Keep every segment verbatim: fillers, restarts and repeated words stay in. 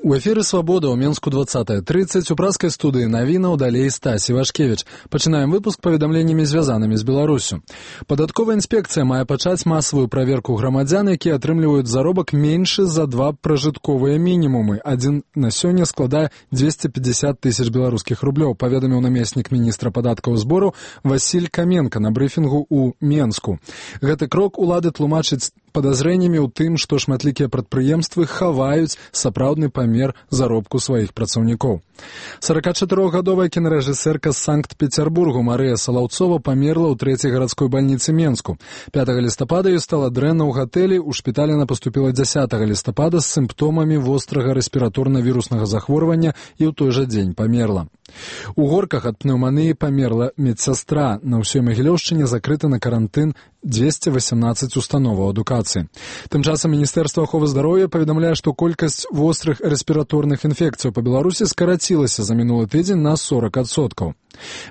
У эфіры «Свабода» ў Менску двадцатая тридцать у праскай студыі навінаў далей Стась Івашкевіч. Пачынаем выпуск паведамленнямі, звязанымі з Беларусю. Падатковая інспекцыя мае пачаць масавую праверку грамадзян, якія атрымліваюць заробак меншы за два пражытковыя мінімумы. Адзін на сёння складае двести пятьдесят тысяч беларускіх рублёў, паведаміў намеснік міністра падаткаў збору Васіль Каменка на брыфінгу ў Менску. Гэты крок улады тлумачыць падазрэннямі ў тым, што шматлікія прадпрыемствы хаваюць сапраўдны памер заробку сваіх працаўнікоў. сорокачатырохгадовая кінарэжысэрка з Санкт-Петербургу Марыя Салаўцова памерла ў трэцяй гарадской бальніцы Менску. пятага лістапада ёй стала дрэнна ў гатэлі, у шпіталь яна паступіла дзясятага лістапада з сімптомамі вострага рэспіраторна-віруснага захворвання і ў той жа дзень памерла. У Горках ад пнеўманіі памерла медсястра. На ўсёй Магілёўшчыне закрыта на карантын двести восемнадцать установаў адукацыі. Тым часам Міністэрства аховы здароўя паведамляе, што колькасць вострых рэспіраторных інфекцыяў па Беларусі скарацілася за мінулы тыдзень на сорок адсоткаў.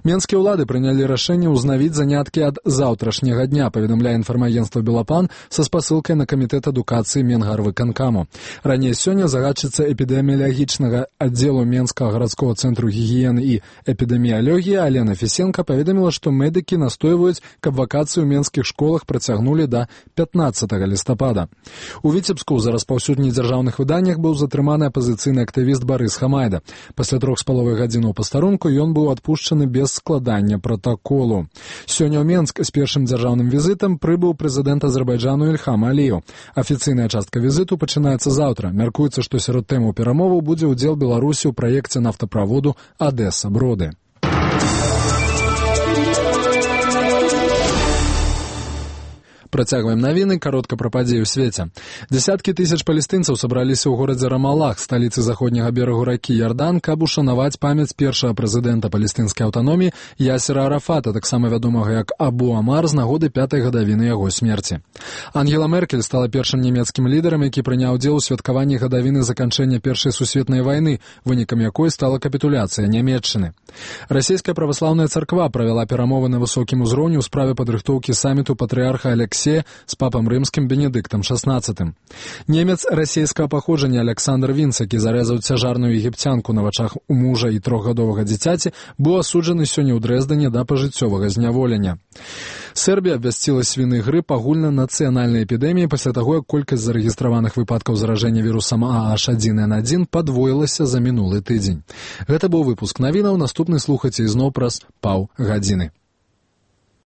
Менскія ўлады прынялі рашэнне ўзнавіць заняткі ад заўтрашняга дня, паведамляе інфармагенцтва «Белапан» са спасылкай на камітэт адукацыі Менгарвыканкаму. Раней сёння загадчыца эпідэміялагічнага аддзелу Менскага гарадскога цэнтру гігіены і эпідэміялогіі Алена Фісенка паведаміла, што медыкі настойваюць, каб вакацыі ў менскіх школах працягнулі да пятнаццатага лістапада. У Віцебску за распаўсюд недзяржаўных выданнях быў затрыманы апазіцыйны актывіст Барыс Хамайда. Пасля трох з паловай гадзінаў пастарунку ён быў адпушчаны без складання пратаколу. Сёння ў Менск з першым дзяржаўным візітам прыбыў прэзідэнт Азербайджану Ільхам Аліеў. Афіцыйная частка візіту пачынаецца заўтра. Мяркуецца, што сярод тэмаў перамоваў будзе ўдзел Беларусі ў праекце нафтаправоду Адэса-Броды. Працягваем навіны, каротка пра падзеі ў свеце. Дзясяткі тысяч палестынцаў сабраліся ў горадзе Рамалах, сталіцы заходняга берагу ракі Ярдан, каб ушанаваць памяць першага прэзідэнта палестынскай аўтаноміі Ясера Арафата, таксама вядомага як Абу Амар, з нагоды пятай гадавіны яго смерці. Ангела Меркель стала першым нямецкім лідарам, які прыняў удзел у святкаванні гадавіны заканчэння першай сусветнай вайны, вынікам якой стала капітуляцыя Нямецчыны. Расійская праваслаўная царква правяла перамовы на высокім узроўні ў справе падрыхтоўкі саміту патрыарха Алексея з папам рымскім Бенедыктам шаснаццатым. Немец расійскага паходжання Александр Вінц, які зарэзаў цяжарную егіпцянку на вачах у мужа і трохгадовага дзіцяці, быў асуджаны сёння ў Дрэздане да пажыццёвага зняволення. Сербія абвясціла свіны грып агульнанацыянальнай эпідэміі пасля таго, як колькасць зарэгістраваных выпадкаў заражэння вірусам А Аш адзін эн адзін падвоілася за мінулы тыдзень. Гэта быў выпуск навінаў, наступны слухайце ізноў праз паўгадзіны.